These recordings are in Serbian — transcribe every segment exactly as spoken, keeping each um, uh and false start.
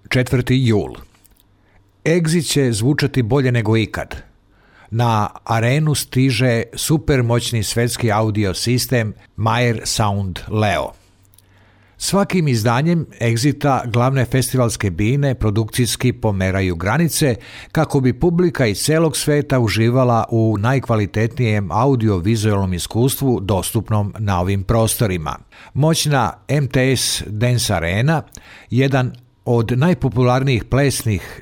četvrti jul. Exit će zvučati bolje nego ikad. Na arenu stiže supermoćni svetski audio sistem Meyer Sound Leo. Svakim izdanjem Exita glavne festivalske bine produkcijski pomeraju granice kako bi publika iz celog sveta uživala u najkvalitetnijem audio-vizualnom iskustvu dostupnom na ovim prostorima. Moćna M T S Dance Arena, jedan od najpopularnijih plesnih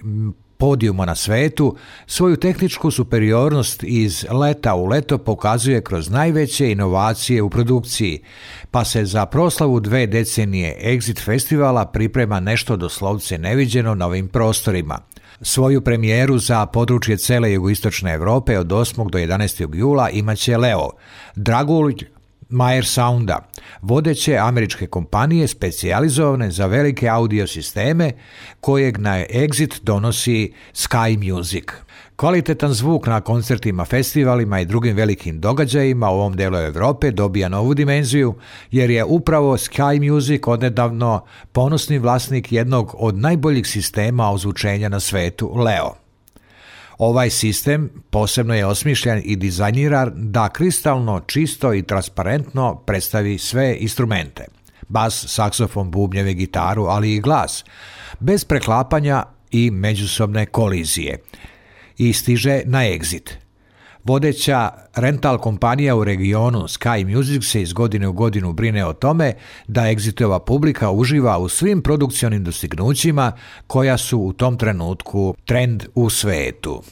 podijuma na svetu, svoju tehničku superiornost iz leta u leto pokazuje kroz najveće inovacije u produkciji, pa se za proslavu dve decenije Exit festivala priprema nešto doslovce neviđeno na ovim prostorima. Svoju premijeru za područje cele jugoistočne Evrope od osmog do jedanaestog jula imaće Leo, dragulj Meyer Sounda, vodeće američke kompanije specijalizovane za velike audio sisteme kojeg na Exit donosi Sky Music. Kvalitetan zvuk na koncertima, festivalima i drugim velikim događajima u ovom delu Evrope dobija novu dimenziju jer je upravo Sky Music odnedavno ponosni vlasnik jednog od najboljih sistema ozvučenja na svetu, Leo. Ovaj sistem posebno je osmišljen i dizajniran da kristalno, čisto i transparentno predstavi sve instrumente. Bas, saksofon, bubnjeve, gitaru, ali i glas, bez preklapanja i međusobne kolizije. I stiže na Exit. Vodeća rental kompanija u regionu Sky Music se iz godine u godinu brine o tome da Exitova publika uživa u svim produkcionim dostignućima koja su u tom trenutku trend u svetu.